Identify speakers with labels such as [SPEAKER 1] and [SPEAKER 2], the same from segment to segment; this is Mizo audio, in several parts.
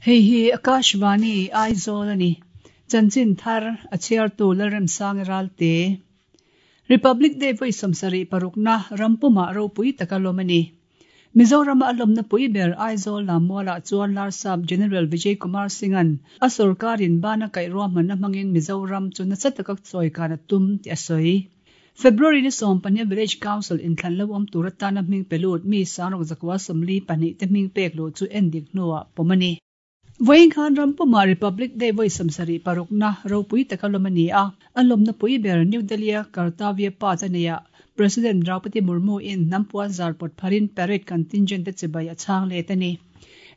[SPEAKER 1] Hei hi Akashvani, Aizawl a ni. Chanchin thar, a chhiartu Lalremsangi Ralte. Republic Day vawi 76 na rampumah ropui taka lawm a ni. Mizorama a lawmna pui ber Aizawl Lammualah chuan Larsap General Vijay Kumar Singh-a'n a sorkarin bana kaih ruahmanna hmangin Mizoram chu nasa taka chawikan a tum tih a sawi. February ni 15 Village Council inthlan lo awm tur atana hming pe lut mi sangruk zakua 42 te hming pek luh chu endik hnuah pawm a ni. Vawiin khan ram pumah Republic Day vawi 76 na ropui taka lawm a ni a, a lawmna pui ber New Delhi-a Kartavya Path a neihah President Draupadi Murmu in hnam puan zar pawt pharin parade contingent te chibai a chhang let a ni.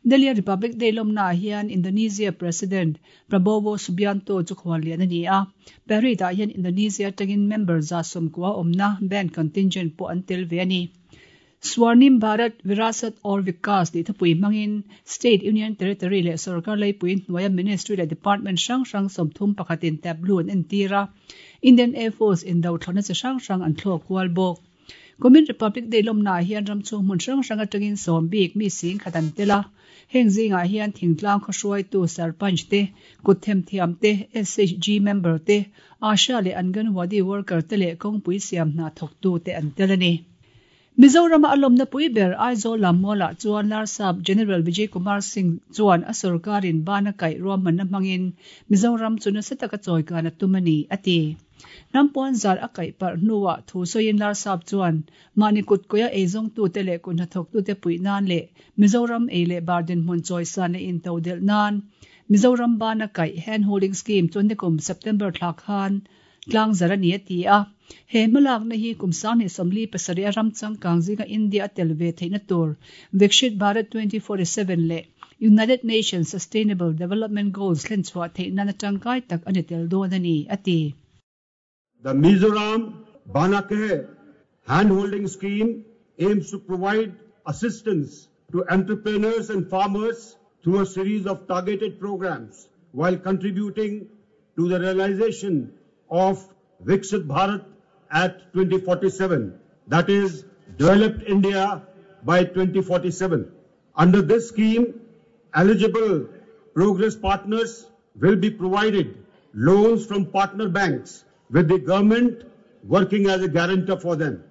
[SPEAKER 1] Delhi-a Republic Day lawmnaah hian Indonesia President Prabowo Subianto chu khuallian a ni a, parade-ah hian Indonesia atangin member 190 awmna band contingent pawh an tel ve a ni. Swarnim Bharat, Virasat aur Vikas tih thupui hmangin State, Union Territory leh sorkar leipui hnuaia Ministry leh Department hrang hrang 31 in tableau an entir a, Indian Air Force indo thlawhna chi hrang hrang an thlawk kual bawk. Kumin Republic Day lawmnaah hian ram chhung hmun hrang hrang atangin sawm bik mi sing khat an tel a, heng zingah hian thingtlang khaw hruaitu Sarpanch te, kut themthiam te, SHG member te, Asha leh Anganwadi worker te leh kawngpui siam hna thawktu te an tel a ni. Mizorama a lawmna pui ber Aizawl Lammualah chuan Larsap General Vijay Kumar Singh chuan a sorkarin bana kaih ruahmanna hmangin Mizoram chu nasa taka chawikan a tum a ni, a ti. Hnam puan zar a kaih parh hnuah thu sawiin Larsap chuan mahni kut kawia eizawngtute leh kut hnathawktute puih nan leh Mizoram ei leh bar dinhmun chawisan leh intodelh nan Mizoram bana kaih Hand Holding Scheme chu nikum September thla khan tlang zar a ni a ti a. He hmalakna hi kum 2047 a ram changkang zinga India a tel ve theihna tur Viksit Bharat 2047 leh United Nations Sustainable Development Goals thlen chhuah theih nan atangkai tak ani tel dawn a ni, a ti.
[SPEAKER 2] The Mizoram Banakaih Hand Holding Scheme aims to provide assistance to entrepreneurs and farmers through a series of targeted programs while contributing to the realization of Viksit Bharat at 2047, that is, Developed India by 2047. Under this scheme, eligible progress partners will be provided loans from partner banks, with the government working as a guarantor for them.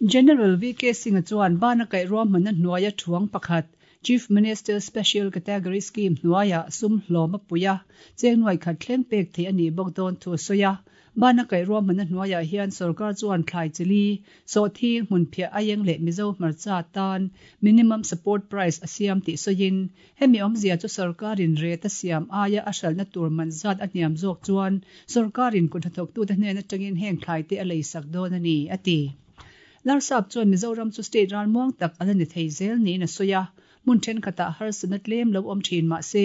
[SPEAKER 1] General VK Singh chuan bana kaih ruahmanna hnuaia thuang pakhat Chief Minister Special Category Scheme hnuaia sum hlawm a pui a, cheng nuai khat thleng pek theih a nih bawk dawn thu a sawi a. Bana kaih ruahmanna hnuaiah hian sorkar chuan thlai chili, sawhthing, hmunphiah aieng leh Mizo hmarcha tan minimum support price a siam tih sawiin, hemi awmzia chu sorkarin rate a siam aia a hralhna tur man zat a hniam zawk chuan sorkarin kut hnathawktute hnen atangin heng thlai te a leisak dawn a ni, a ti. Larsap chuan Mizoram chu state ralmuang tak a la ni thei zel niin a sawi a, hmun thenkhatah harsatna tlem lo awm thin mah se,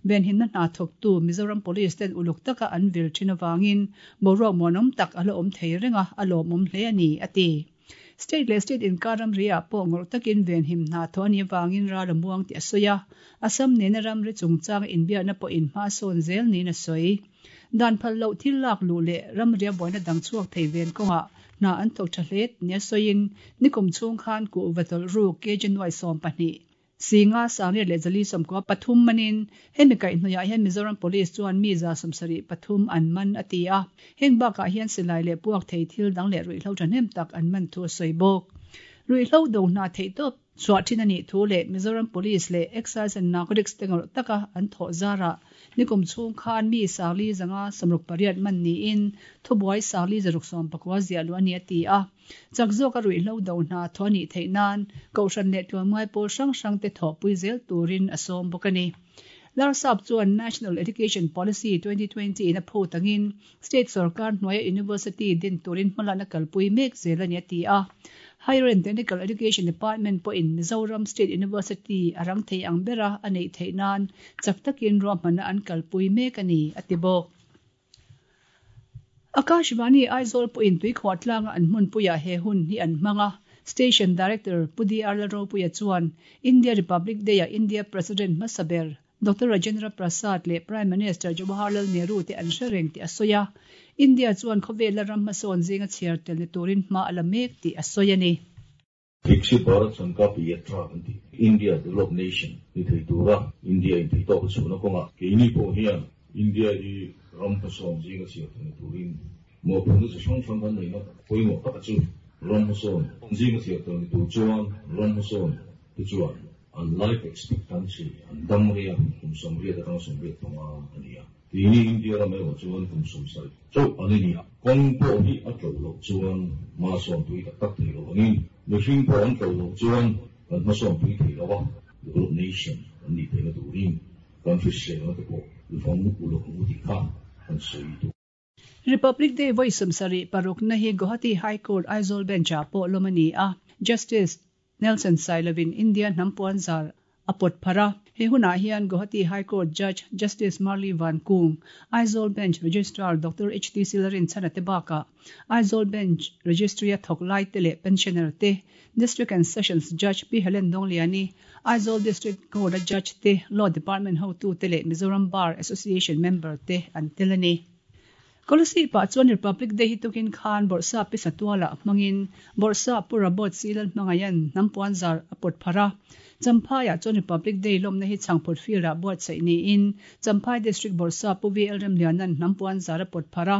[SPEAKER 1] venhimna hna thawktu Mizoram Police ten uluk taka an vil thin avangin boruak muanawm tak a la awm thei reng a, a lawmawm hle a ni, a ti. State leh state inkar ramri-ah pawh ngawrh takin venhim hna thawh a nih avangin ral a muang tih a sawi a, Assam nena ramri chungchanga inbiakna pawhin hma a sawn zel niin a sawi. Dan phal loh thil lak luh leh ramria buaina dang chhuak thei ven kawngah hna an thawk tha hle nia sawiin nikum chhung khan kuhva tawlh ruk kg nuai 12, Singa sangriat leh zali 93 manin hemi kaihhnawihah hian Mizoram Police chuan mi 73 an man a ti a. Heng bakah hian silai leh puak thei thil dang leh ruihhlo thahnem tak an man thu a sawi bawk. Ruihhlo do hna theih tawp chhuah thin a nih thu leh Mizoram Police leh Excise and Narcotics te ngawrh taka an thawh zarah nikum chhung khan mi 4,568 man niin thubuai 4,690 ziah luh a ni a ti a. Chak zawk a ruihhlo do hna thaw a nih theih nan Kohhran leh tlawmngai pawl hrang hrang te thawhpui zel turin a sawm bawk a ni. Larsap chuan National Education Policy 2020 in a phut angin State sorkar hnuaia University din turin hmalakna kalpui mek zel a ni a ti a. Higher and Technical Education Department pawhin Mizoram State University a rang thei ang bera a neih theih nan chak takin ruahmanna an kalpui mek a ni, a ti bawk. Akashvani Aizawl pawhin tuikhuah tlanga an hmunpuiah he hun hi an hmang a. Station Director Pu DR Lalropuia chuan India Republic Day-ah India President hmasa ber Doctor Rajendra Prasad leh Prime Minister Jawaharlal Nehru te an hre reng tih a sawi a. India chuan khawvela ram hmasawn zinga chhiar tel ni turin hma a la mek tih a sawi a ni.
[SPEAKER 3] Viksit Bharat Sankalp Yatra an ti. India developed nation ni thei tura India in theihtawk a chhuahna kawngah keini pawh hian India hi ram hmasawn zinga chhiar thei ni turin mawhphurhna chi hrang hrang kan neihna pawimawh taka chu ram hmasawn zinga chhiar thei ni tur chuan ram hmasawn te chuan an life expectancy an dam rei a, kum 80 atanga 85 a ni a. Keini India ram erawh chuan kum 70 chauh an ni a, kawng pawh hi a tlo loh chuan hmasawn pui tak tak thei lo angin mihring pawh an tlo loh chuan kan hmasawn pui thei lo a, developed nation kan nih theihna turin kan hriselna te pawh i vawng uluk ang u tih kha kan sawi duh.
[SPEAKER 1] Republic Day vawi 76 na hi Guwahati High Court Aizawl Bench-ah pawh lawm a ni a, Justice Nelson Sailovin India hnam puanzar a pawt pharh a. He hunah hian Guwahati High Court Judge Justice Marli Vankung, Aizawl Bench Registrar Doctor HT Silarinchhana te bakah Aizawl Bench Registry-a thawk lai te leh pensioner te, District and Sessions Judge Pi Helen Dawngliani, Aizawl District Court-a Judge te, Law Department hotute leh Mizoram Bar Association member te an tel a ni. Kolasib ah chuan Republic Day hi tukin khan Bawrhsap Pi Satuala hmangin Bawrhsap Pu Rabawt Silal hmangaihan hnam puanzar a pawt pharh a. Champhai ah chuan Republic Day lawmna hi Chhangphut Field ah buatsaih niin Champhai District Bawrhsap Pu VL Remliana'n hnam puanzar a pawt pharh a.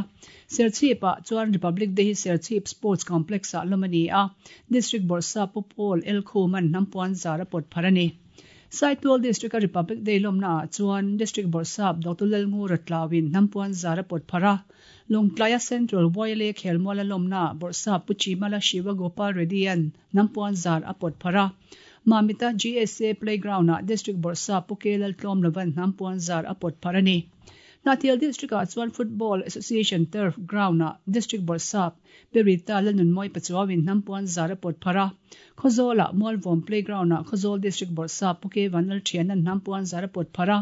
[SPEAKER 1] Serchhip ah chuan Republic Day hi Serchhip Sports Complex ah lawm a ni a, District Bawrhsap Pu Paul L Khuma'n hnam puanzar a pawt pharh a ni. Saitual District-a Republic Day lawmna ah chuan District Bawrhsap Doctor Lalngura Tlauin hnam puanzar a pawt pharh a, Lawngtlaia Central YLA khelmuala lawmna ah Bawrhsap Pu Chimala Shiva Gopal Reddy-a'n hnam puanzar a pawt pharh a, Mamita GSA Playground ah District Bawrhsap Pu K Laltlawmlova'n hnam puanzar a pawt pharh a ni. Hnahthial District-ah chuan Football Association Turf Ground-ah District Bawrhsap Perita Lalnunmawi Pachuauin hnam puanzar a pawt pharh a. Khawzawlah Mualvawm Playground-ah Khawzawl District Bawrhsap Pu K Vanlalthiana'n hnam puanzar a pawt pharh a.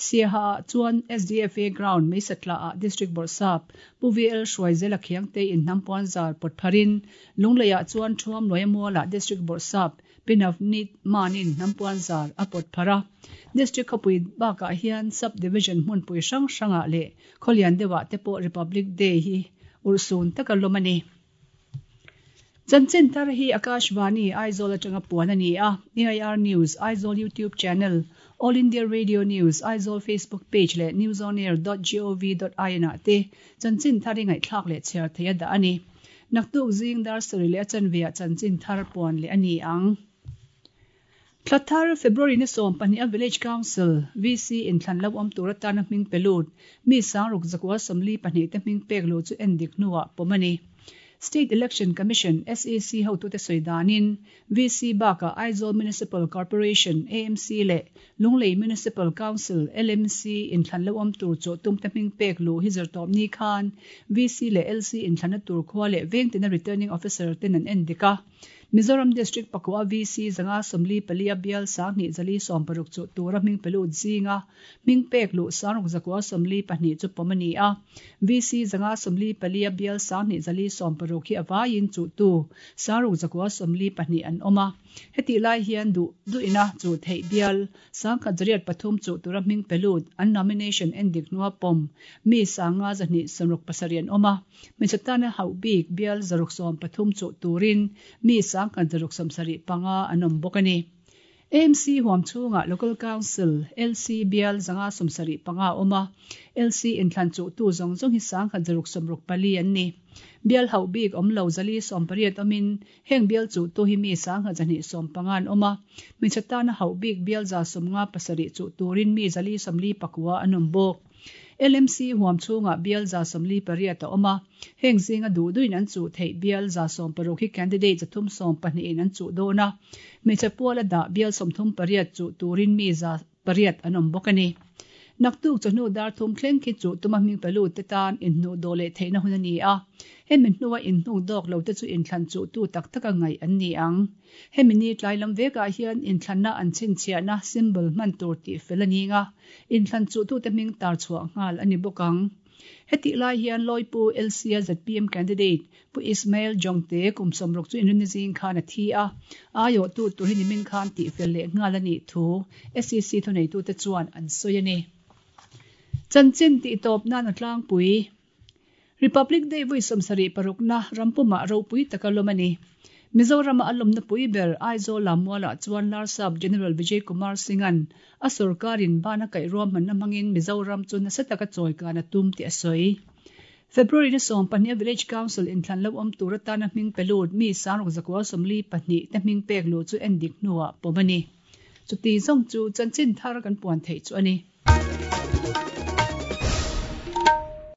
[SPEAKER 1] Siaha-ah chuan SDFA Ground Meisatla-ah District Bawrhsap Pu VL Hruaizela Khiangteiin hnam puanzar pawt pharhin, Lungleiah chuan Thuamluaia Mualah District Bawrhsap Pi Navneet Manin hnam puanzar a pawt pharh a. District khawpui bakah hian Sub Division hmunpui hrang hrangah leh khawlian deuhah te pawh Republic Day hi urhsun taka lawm a ni. Chanchin thar hi Akashvani, Aizawl atanga puan a ni a, AIR News, Aizawl YouTube Channel, All India Radio News, Aizawl Facebook Page leh newsonair dot gov dot in ah te chanchin thar hi ngaihthlak leh chhiar theih a dah a ni. Naktuk zing dar sarih leh a chanve ah chanchin thar puan leh a ni ang. Thla thar, February ni 12 a Village Council, VC, inthlan lo awm tur atana hming pe lut, mi sangruk zakua 42 te hming pek luh chu en dik hnuah pawm a ni. State Election Commission, SEC, hotute sawi danin, VC bakah Aizawl Municipal Corporation, AMC, leh Lunglei Municipal Council, LMC, inthlan lo awm tur chawh tumte hming pek luh hi zirtawp ni khan VC leh LC inthlanna tur khua leh vengtina Returning Officer ten an en dik a. Mizoram District pakua VC 544 a bial 2060 chu tura hming pe lut zinga hming pek luh 6,142 chu pawm a ni a. VC 544 a bial 2060 hi a vaiin chuhtu 6,142 an awm a. Hetih lai hian duh duhina chu theih bial 1,103 chu tura hming pe lut an nomination en dik hnua pawm mi 5,267 an awm a. Hmeichhe tana hauh bik bial 630 chu turin mi 1,675 an awm bawk a ni. AMC huam chhungah Local Council, LC, bial 575 a awm a, LC inthlan chuhtu zawng zawng hi 1,164 an ni. Bial hauh bik awm lo 480 awmin heng bial chuhtu hi mi 1,215 an awm a, hmeichhe tana hauh bik bial 157 chuh turin mi 449 an awm bawk. LMC huam chhungah bial 48 a awm a, heng zinga duh duhin an chuh theih bial 16 hi candidate 312 in an chuh dawn a, hmeichhe puala dah bial 38 chuh turin mi 8 an awm bawk a ni. Naktuk chawhnu dar thum thleng khi chuh tuma hming pe lut te tan inhnuh dawh leh theihna hun a ni a, hemi hnua inhnuk dawk lo te chu inthlan chuhtu tak taka ngaih an ni ang. Hemi ni tlai lam vekah hian inthlanna an chhinchhiahna symbol hman tur tih fel a ning a, inthlan chuhtute hming tar chhuah nghal a ni bawk ang. Hetih lai hian Lawipu LC-a zpm candidate Pu Ismail Jongte kum 60 chu inrinni zing khan a thi a, aiawhtu tur hi nimin khan tih fel leh nghal a nih thu SEC thuneitute chuan an sawi a ni. Chanchin tih tawp nan a tlangpui. Republic Day vawi 76 na rampumah ropui taka lawm a ni. Mizorama a lawmna pui ber Aizawl Lammualah chuan Larsap General Vijay Kumar Singh-a'n a sorkarin bana kaih ruahmanna hmangin Mizoram chu nasa taka chawikan a tum tih a sawi. February ni 12 a Village Council inthlan lo awm tur atana hming pe lut mi sangruk zakua 42 te hming pek luh chu endik hnuah pawm a ni. Chuti zawng chu chanchin thar kan puan theih chu a ni.